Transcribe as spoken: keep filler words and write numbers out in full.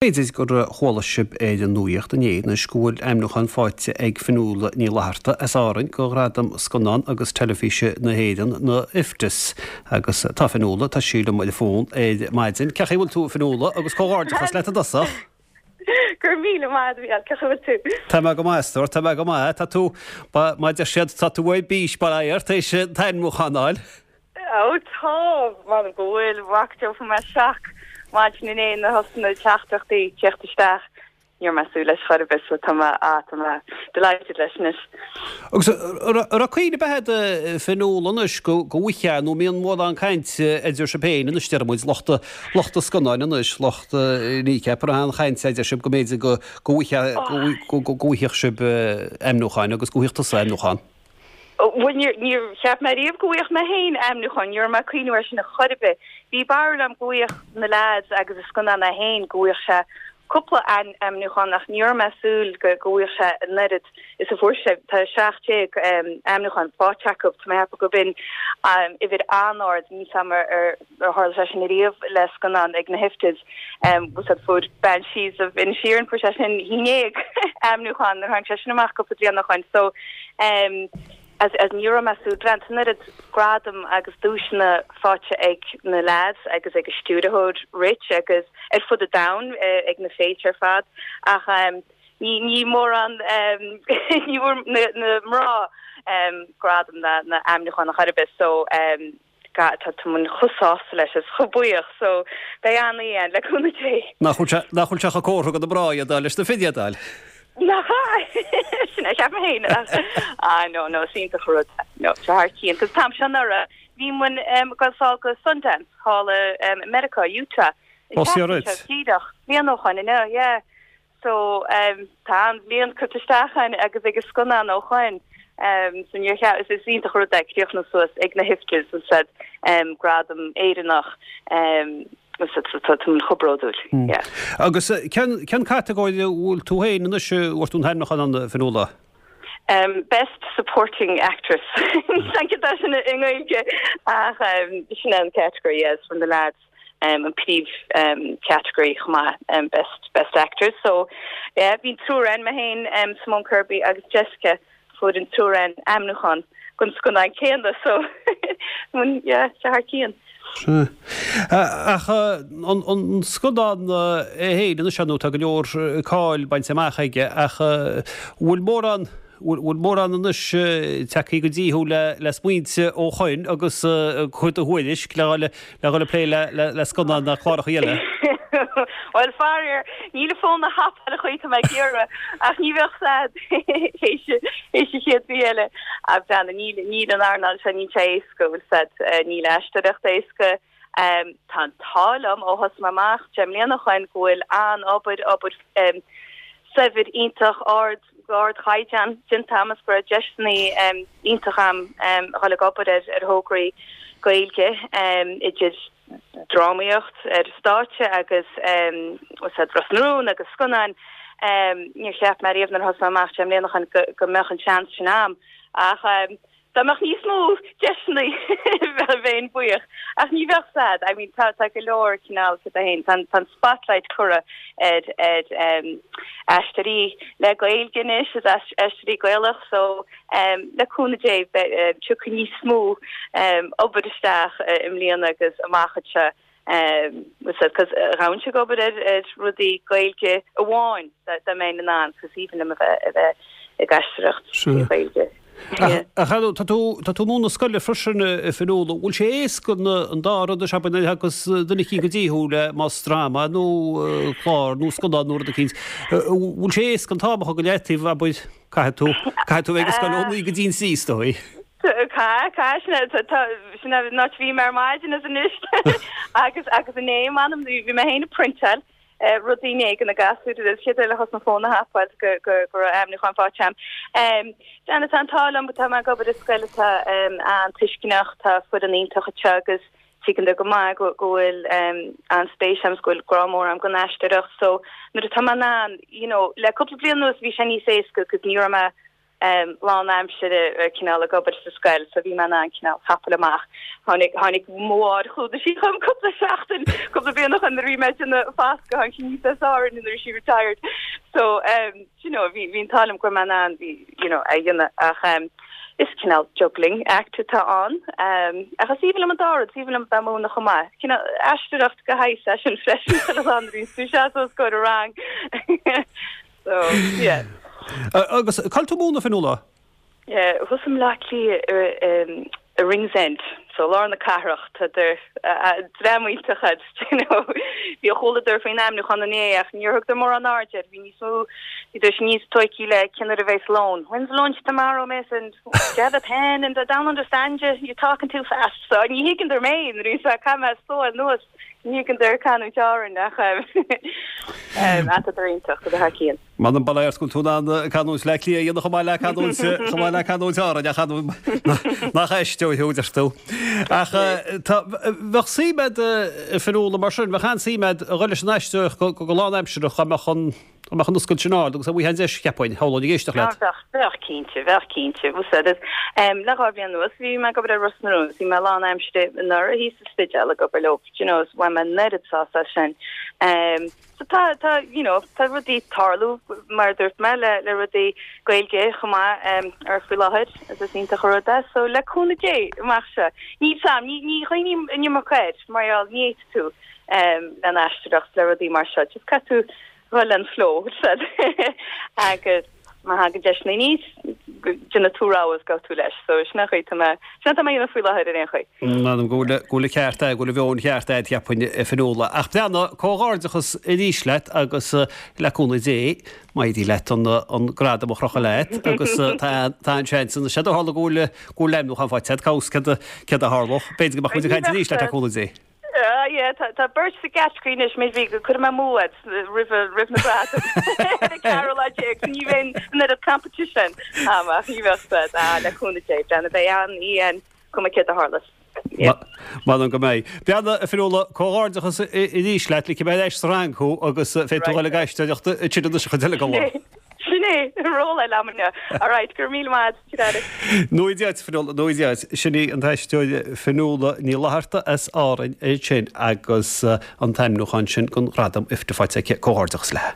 B'fhéidir gur chuala sibh ar an nuaíocht inné anois go bhfuil ainmniúchán faighte ag Fionnuala Ní Fhlatharta as Árainn go Ghradam Scannán agus Teilifíse na hÉireann na IFTAs agus tá Fionnuala tá sí liom ar an bhfón ar maidin. Cén chaoi a bhfuil tú Fionnuala agus comhghairdeachas leat i dtosach. Gur míle maith cén chaoi a bhfuil tú. Tá mé go maith tá mé go maith tá tú má deir siad tá tú ar bís bar éis an t-ainmniúchán a fháil. Ó tá mar go bhfuil bhactó me seach maidin inné na hosna teachtaireachtaí teacht isteach níor measú leis chubis so tá tá delighted leis anois. Agus ra cuioine behead finúla anois go bhfuiche nó míon mór an caint idir sibh féin anois deir muid lucht lucht scannáin anois lucht Kneecap an chaint idir sibh go mb'fhéidir go go bhfaigheadh sibh ainmniúchán agus go bhfaigheadh tusa ainmniúchán. Well níor cheap mé riamh go bhfaigheadh mé féin ainmniúchán, ní raibh mé ag cuimhneamh air sin a chor ar bith. Bhí barúil agam go bhfaigheadh na lads agus a scannán é féin go bhfaigheadh sé cúpla ainmniúchán ach ní raibh mé ag súil go go bhfaigheadh sé an oiread is a fuair sé tá seacht déag ainmniúchán faighte acu tá mé ag ceapadh go b'in uimhir an-ard ní ar ar tharla sé sin riamh le scannán ag na hIFTAs um, fuair Banshees of Inisherin fuair sé sin haon déag ainmniúchán ar tháinig sé sin amach cúpla bliain ó shin so um, as as ní raibh mé ag súil an oiread gradam agus duaiseanna faighte ag na lads agus ag an stiúrthóir Rich agus ar fud an domhain uh, ag na féilte ar fad ach um, ní ní mórán um, ní bhfuair na, na mná um, gradam na na ainmniúchán a chor ar bith so um, tá chomh sásta leis is chomh buíoch so beidh an le cúnamh Dé. Nach bhfuil sé chomh go na mná a leis na fir a fháil. Na sin a cheap mé ah no no iontach rud no thar cionn cos tam sin ara bhí muid um, go sá go Sundance thall um, America Utah díreach bliain ó shin no yeah so um, tá an bhliain curtha isteach agus ag scannán ó shin um, so ní is is iontach rud é críochnú suas ag na HIFTAs said um, gradam Éireannach um, chomh bródúil. Hmm. Agus cén cén catagóir bhfuil tú féin anois bhfuair tú an t-ainmniúchán ann Fionnuala? Um, best supporting actress Thank you sin i nGaeilge ach um, sin an category yes from the lads um, an príomh um, category chomh maith um, best best actress so yeah bhí triúr againn mé féin um, Simone Kirby agus Jessica fuair an triúr againn ainmniúchán don scannán céanna so yeah thar cionn. Ach an scannán é féin ina nó tá go leor cáil bainte amach aige ach bhfuil mórán bhfuil mórán anois tagtha go dtí thú le le smaointe ó shin agus chuid a thuairisc le le le le plé le le scannán na cláracha eile. Well faraor níl fón ag tapáil an chaoi atá mé ag iarraidh ach ní bheadh sad chéad bhí eile a bhean níl níl an earnáil se ní éasca bhfuil sad níl aisteoireacht éasca. Um, tá tálam ó thos amach deich mbliana ó shin go bhfuil an obair obair um, saibhir iontach ard ardchaighdeán sin tamas go deiseanna um, iontach am um, le obair ar ar thograí Gaeilge um, idir drámaíocht ar stáitse agus um, Ros na Rún agus scannáin um, níor cheap mé riamh nuair a thosaigh mé amach deich mbliana ó shin go, go mbeadh an seans sin agam ach um, Dá mbeadh níos mó deiseanna bheinn buíoch ach ní bheadh sad I mean tá tá go leor cineál sa hain tan tan spotlight curtha ar ar um, aisteoirí le Gaeilge anois is aisteoirí Gaelach so um, le cúnamh Dé tiocfaidh níos mó um, obair isteach uh, i mbliana agus amach anseo um cos raibh sé obair ar ar rudaí Gaeilge amháin da mé an cos even a bheith a bheith ag aisteoireacht Gaeilge. Ach tá tú tá tú ag múineadh scoile freisin Fionnuala, bhfuil sé éasca an dá rud a seaban agus duine go dtí thú le más dráma nó clár nó scannán nó rud eicínt. Bhfuil sé éasca an t-am a chur go leataobh a bud caithfidh tú caithfidh tú bheith ag scoil ó naoi go dtí a sé dóí. Cá cá sin ná bhí mar maidin is anois agus agus inné manam bhí mé féin ag printáil rudaí né na gasúir sé le hos na fóna hapáil go go go ainmniúchán faighte agam. Um, Déana tá tálam tá mar gobar is scoil tá um, an-tuisceanach tá foireann iontach agus tuigeann go maith go bhfuil um, an spéis agam go bhfuil grá mór agam don aisteoireacht so nuair atá an you know le cúpla bliain anuas bhí sé níos éasca cos ní raibh mé um, lánaimseartha cineál ag obair sa scoil so bhí mé in ann cineál thapáil amach tháinig tháinig mór chuda sí chum cúpla seachtain cúpla bliain ó shin nuair a bhí mé ag fás go han ní áir nuair she retired so um, you know bhí bhí tálim go man an bhí you know a dhéanamh ach um, is cineál juggling act atá ann um, ach is aoibhinn liom an dá rud is aoibhinn liom bheith ag múineadh chomh maith cineál aisteoireacht go háirithe sin freisin an bhí tú se os comhair rang so yeah agus cá bhfuil tú ag múineadh Fionnuala Yeah, thuas i mBleá Cliath um, i Ringsend so lár na cathrach dream iontach you know bhí chualadar faoin ainmniúchán inné ach níor thug mórán aird bhí níos mó bhí níos tógtha le cén uair a bheas lón. When's lunch tomorrow miss and do you have a pen and I don't understand you you're talking too fast so ní thuigeadar mé rí cam so nuas ní thuigeadar canúint Árann ach iontach go hacíon. Man an bail go tú an canúint Bhaile Átha Cliath dhéanamh chomh maith le canúint chomh maith le canúint Árann nach éisteo thuúidir tú. Ach bheadh suim agat Fionnuala mar sin, bheadh an-suim agat a dhul leis an aisteoireacht go lánaimseartha dá mbeadh an mbeadh an oscailt sin ann agus a bhí deis cheapfainn shamhlóinn ag éisteacht leat. Bheadh cinnte, bheadh cinnte um, le dhá bhliain anuas bhí mé ag obair ar Ros na Rún, bhí mé lánaimseartha anuraidh thíos sa Spidéal ag obair leo, you know, bhain mé an oiread sásamh as sin. Um, so tá tá you know tá rudaí ag tarlú mar dúirt mé le le rudaí Gaeilge chomh maith um, ar faoi láthair is is iontach an rud é so le cúnamh Dé amach seo ní sam ní ní chuimhním an iomarca air mar ní tú um, le aisteoireacht le rudaí mar seo just caithfidh tú dhul an flow agus má thagann deis aníos déanfaidh tú rogha go tú leis so sin chuid mé sin tá mé faoi láthair ar aon chaoi. Ná go bhfuil ceart go bhfuil bheon cheart cheapfainn Fionnuala. Ach breathnaigh comhghairdeachas arís leat agus le cúnamh Dé maidí leat an an gradam a chrochadh leat agus tá tá an seans an sé tharla go bhfuil go bhfuil ainmniúchán faighte cá bhfios céard a tharlódh B'fhéidir go mbeadh muid ag caint arís leat le cúnamh Dé. Yeah, tá tá beirt sa gcategory anois mé bhí go chuir mé múad roimh roimh na gradaim Carol ní bheidh an oiread competition amach ní bheadh le cúnamh Dé breathnaigh beidh an í an cuma céard a tharlós. Man an go méid. Beanna a fiúla comhghairdeachas arís leat le cibé leis rang thú agus féadfaidh tú le gaisteoireacht tríd an chuid eile go lá. Sin é ról lamne Alright gur mí Nuaid Fionnuala sin í an t-aisteoir Fionnuala Ní Fhlatharta as Árainn é sin agus an t-ainmniúchán sin don ghradam IFTA faighte aici comhghairdeachas léi.